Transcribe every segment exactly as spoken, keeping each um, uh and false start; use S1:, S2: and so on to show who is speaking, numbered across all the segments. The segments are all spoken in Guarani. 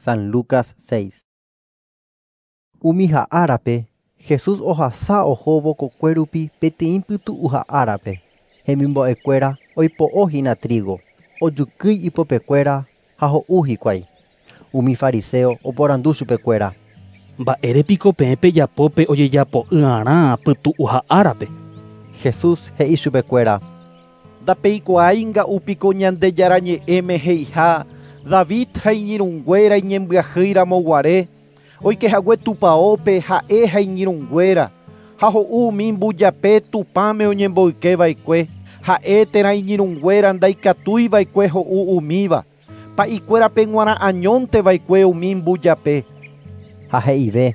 S1: San Lucas seis. Umi árape, Jesús ohasa ohóvo kokuérupi peteĩ pytu'uha árape. Hemimbo'ekuéra oipo'ohína trigo, ojukýi ipopekuéra ha ho'u hikuái. Umi fariseo oporandu chupekuéra.
S2: Mba'érepiko peẽ pejapópe ojejapo'ỹ'arã pytu'uha árape.
S1: Jesús he'i chupekuéra.
S3: Ndapeikuaáinga upiko Ñandejára ñe'ẽme he'iha David ha iñirũnguéra iñembyahýiramoguare oikehague tupãópe ha'e ha iñirũnguéra ha ho'u umi mbujape Tupãme oñemboykeva'ekue ha'e térã iñirũnguéra ndaikatúiva'ekue ho'u umíva pa'ikuérape g̃uarã añónteva'ekue umi mbujape.
S1: Ha he'ive.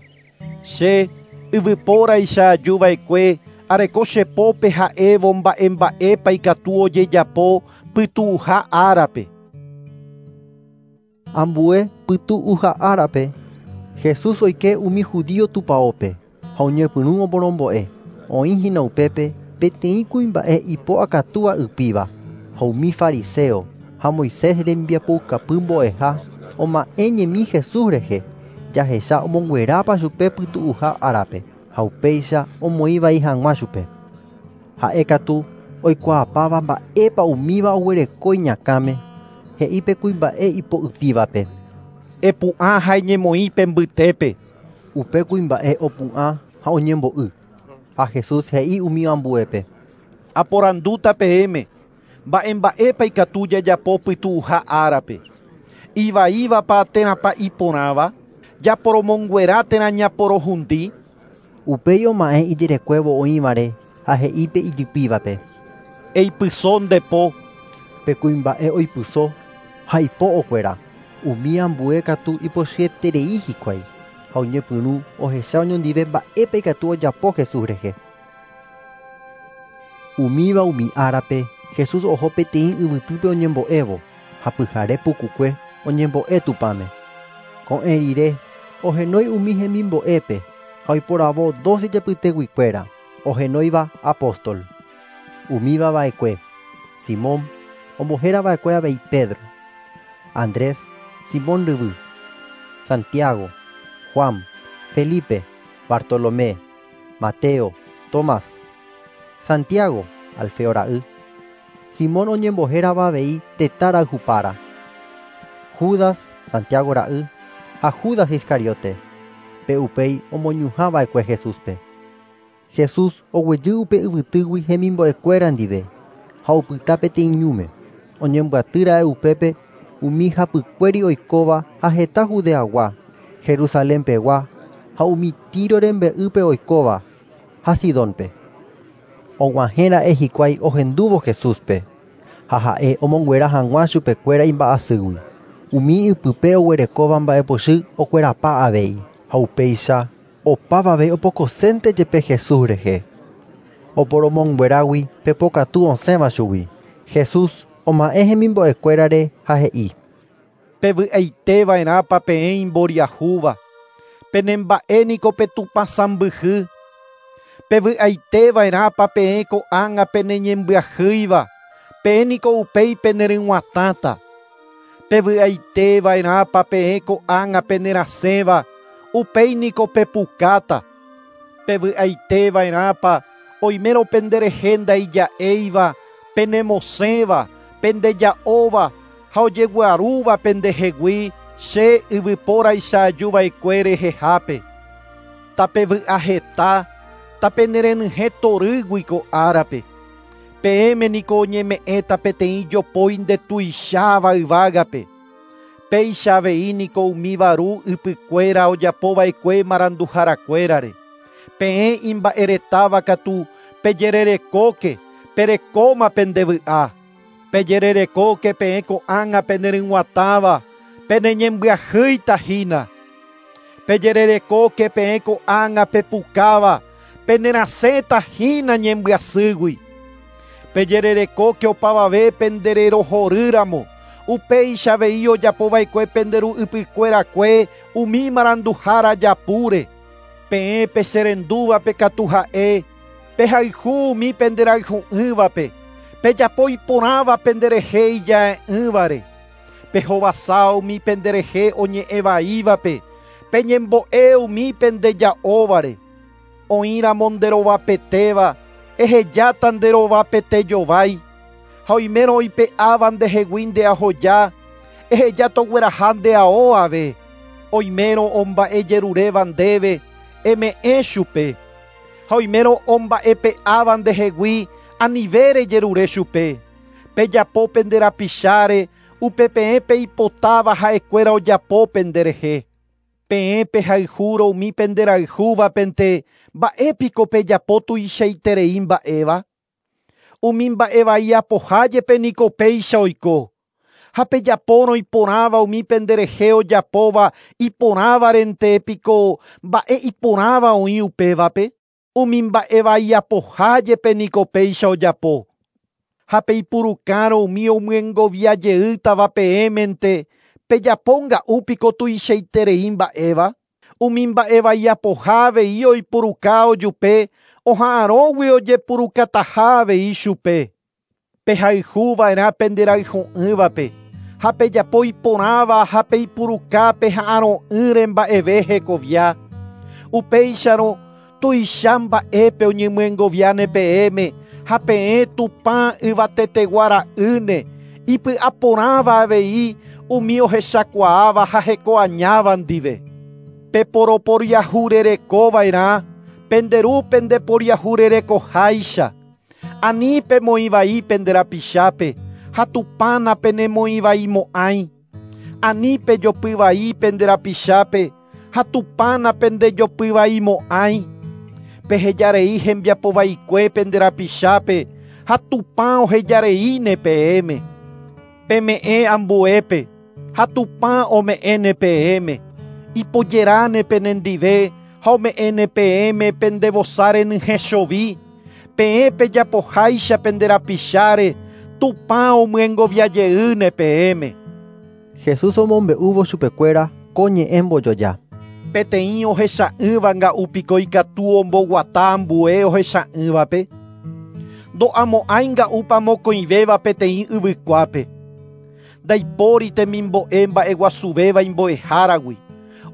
S3: Che yvypóraicha ajuva'ekue areko chepópe ha'évo mba'emba'épa ikatu ojejapo pytu'uha árape.
S1: Ambue pytu'uha árape, Jesús oike umi judío tupãópe ha oñepyrũ oporombo'e. Oĩhína upépe peteĩ kuimba'e ipo akatúva ypíva ha umi fariseo ha Moisés rembiapoukapy mbo'eha oma'ẽ ñemi Jesús rehe jahecha omonguerápa chupe pytu'uha árape ha upéicha omoĩvai hag̃ua chupe. Ha'e katu oikuaapáva mba'épa umíva oguereko iñakãme he'i pe kuimba'e ipo'ypívape.
S3: Epu'ã ha eñemoĩ mbytépe.
S1: Upe kuimba'e opu'ã ha oñembo'y. Ha Jesús he'i umi ambuépe.
S3: Aporandúta peẽme mba'emba'épa ikatu jajapo pytu'uha árape. Ivaívapa térãpa iporãva, japoromonguera térã ñaporohundi.
S1: Upéi oma'ẽ ijerekuévo oĩvare ha he'i pe ijypívape.
S3: Eipyso nde po.
S1: Pe kuimba'e oipyso ha ipo okuera. Umi ambue katu ipochyeterei hikuái ha oñepyrũ ohecha oñondive mba'épa ikatu ojapo Jesús rehe. Umíva umi árape Jesús oho peteĩ yvytýpe oñembo'évo ha pyhare pukukue oñembo'e Tupãme. Ko'ẽ rire ohenói umi hemimbo'épe ha oiporavo doce japyteguikuéra ohenóiva apóstol. Umíva va'ekue Simón ombohérava'ekue avei Pedro, Andrés, Simón ryvy, Santiago, Juan, Felipe, Bartolomé, Mateo, Tomás, Santiago, Alfeo ra'y, Simón oñembohérava avei tetã rayhupára, Judas, Santiago ra'y ha Judas Iscariote, pe upéi omoñuhãva'ekue Jesúspe. Jesús oguejy upe yvytýgui hemimbo'ekuéra ndive ha opyta peteĩ ñúme. Oñembyatýra'e upépe umi hapykuéri oikóva ha heta Judeagua, Jerusalenpegua ha umi Tiro rembe'ýpe oikóva ha Sidónpe. Og̃uahẽra'e hikuái ohendúvo Jesúspe ha ha'e omonguera hag̃ua chupekuéra imba'asýgui. Umi ipype oguerekóva mba'epochy okuerapa avei ha upéicha opavave opokosénte jepe Jesús rehe. Oporomonguerágui pepokatu osẽva chugui. Jesús oma'ẽ hemimbo'ekuérare ha he'i.
S3: Pevy'aiteva'erãpa peẽ imboriahúva, penemba'éniko pe Tupã sãmbyhy. Pevy'aiteva'erãpa peẽ ko'ág̃a peneñembyahýiva, peẽniko upéi peneryg̃uatãta. Pevy'aiteva'erãpa peẽ ko'ág̃a penerasẽva, upéiniko pepukáta. Pevy'aiteva'erãpa oimérõ penderehe ndaija'éiva, penemosẽva, pendeja'óva ha ojeguarúva pendehegui che yvypóraicha ajuva'ekue rehehápe. Tapevy'aheta, tapenerenyhẽ torýgui ko árape. Peẽme niko oñeme'ẽta peteĩ jopói ndetuicháva yvágape. Péicha avei niko umi varu ypykuéra ojapova'ekue maranduharakuérare. Peẽ imba'eretáva katu pejererekóke, perekóma pendevy'a. Pejererekóke peẽ ko'ág̃a peneryg̃uatãva, peneñembyahýitahína. Pejererekóke peẽ ko'ág̃a pepukáva, penerasẽtahína ñembyasýgui. Pejererekóke opavave pendererohorýramo, upéicha avei ojapova'ekue penderu ypykuerakue umi maranduhára japúre. Peẽ pecherendúvape katu ha'e, pehayhu umi penderayhu'ỹvape, pejapo iporãva penderehe ija'e'ỹvare. Pehovasa umi penderehe oñe'ẽvaívape, peñembo'e umi pendeja'óvare. Oĩramo nderovapetéva, ehejáta nderovapetejovái. Ha oimérõ oipe'áva ndehegui ndeahoja, eheja togueraha ndeao ave. Oimérõ omba'ejeruréva ndéve, eme'ẽ chupe. Ha oimérõ omba'epe'áva ndehegui, anive rejerure chupe. Pejapo penderapicháre, upe peẽ peipotáva ha'ekuéra ojapo penderehe. Peẽ pehayhúrõ umi penderayhúvapente, mba'épiko pejapo tuichaiterei mba'éva? Umi mba'evai apoha jepe niko péicha oiko. Ha pejapórõ iporãva umi penderehe ojapóva iporãvarente piko mba'e iporãva oĩ upévape? Umi mba'evai apoha jepe niko péicha ojapo. Ha peipurukárõ umi omyengoviajeýtava peẽmente, pejapo nga'úpiko tuichaiterei mba'éva? Umi mba'evai apoha avei oipuruka ojupe, oha'arõgui ojepurukataha avei chupe. Pehayhuva'erã penderayhu'ỹvape, ha pejapo iporãva ha peipuruka peha'arõ'ỹre mba'eve hekovia. Upéicharõ tuicha mba'épe oñemyengoviáne peẽme, ha peẽ Tupã yvatetegua ra'ýne, ipy'aporãva avei umi ohechakuaáva ha hekoañáva ndive. Peporoporiahurerekova'erã, penderu pendeporiahurerekoháicha. Ani pemoĩvai penderapichápe, ha Tupã napenemoĩvaimo'ãi. Ani pejopyvai penderapichápe, ha Tupã napendejopyvaimo'ãi. Pehejarei hembiapovaikue penderapichápe, ha Tupã ohejareíne peẽme. Peme'ẽ ambuépe, ha Tupã ome'ẽne peẽme. Ipojeráne penendive, ha ome'ẽne peẽme pendevosa renyhẽchovi. Peẽ pejapoháicha penderapicháre, Tupã omyengoviajeýne peẽme.
S1: Jesús omombe'úvo chupekuéra ko ñe'ẽ mbojoja.
S3: Peteĩ ohecha'ỹva nga'úpiko ikatu omboguata ambue ohecha'ỹvape. Ndo'amo'ãi nga'úpa mokõivéva peteĩ yvykuápe. Ndaipóri temimbo'e mba'eguasuvéva imbo'eháragui.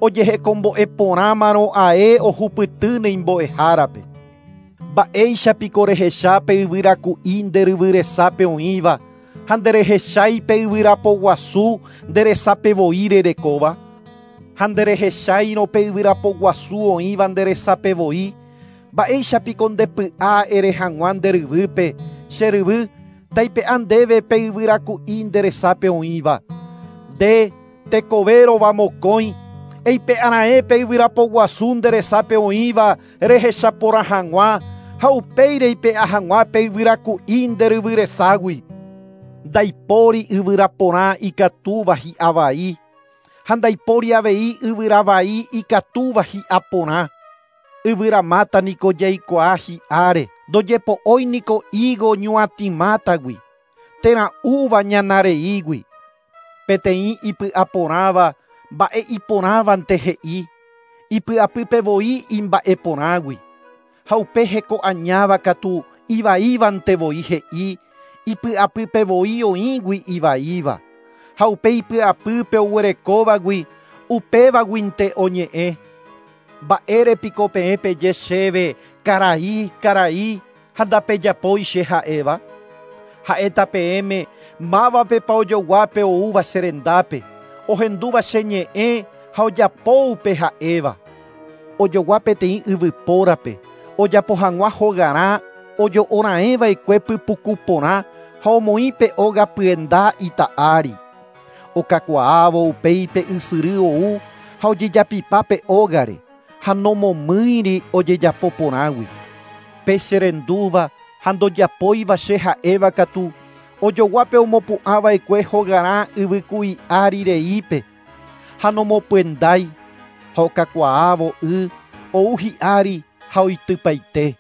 S3: Ojehekombo'e porãmarõ ae ohupytýne imbo'ehárape. Mba'éichapiko rehecha pe yvyraku'i nderyvyresápe oĩva, ha nderehechái pe yvyrapoguasu nderesapevoi rerekóva? Ha nderehecháirõ pe yvyrapoguasu oĩva nderesapevoi, mba'éichapiko ndepy'a ere hag̃ua nderyvýpe, che ryvy, taipe'a ndéve pe yvyraku'i nderesápe oĩva. Nde tekovérova mokõi, eipe'ara'ẽ pe yvyrapoguasu nderesápe oĩva rehechaporã hag̃ua, ha upéi reipe'a hag̃ua pe yvyraku'i nderyvyreságui. Ndaipóri yvyraporã ikatúva hi'avai, ha ndaipóri avei yvyravai ikatúva hi'aporã. Yvyramáta niko jaikuaa hi'áre, ndojepo'ói niko higo ñuatĩmátagui, térã úva ñanareígui. Peteĩ ipy'aporãva mba'e iporãvante he'i, ipy'apypevoi imba'eporãgui. Ha upe hekoañáva katu ivaívantevoi he'i, ipy'apypevoi oĩgui ivaíva. Ha upe ipy'apýpe oguerekóvagui, upévaguinte oñe'ẽ. Mba'érepiko peẽ peje chéve, karai, karai, ha ndapejapói che ha'éva? Ha'éta peẽme mávapepa ojoguápe oúva che rendápe, ohendúva che ñe'ẽ ha ojapo upe ha'éva. Ojogua peteĩ yvypórape, ojapo hag̃ua hogarã ojo'ora'ẽva'ekue pypuku porã ha omoĩ pe óga pyenda ita'ári. Okakuaávo upéi pe ysyry ou ha ojejapipa pe ógare, ha nomomýiri ojejapo porãgui. Pe cherendúva ha ndojapóiva che ha'éva katu, ojoguápe omopu'ãva'ekue hogarã yvyku'i ári reípe, ha nomopyendái, ha okakuaávo y ou hi'ári ha oitypaite.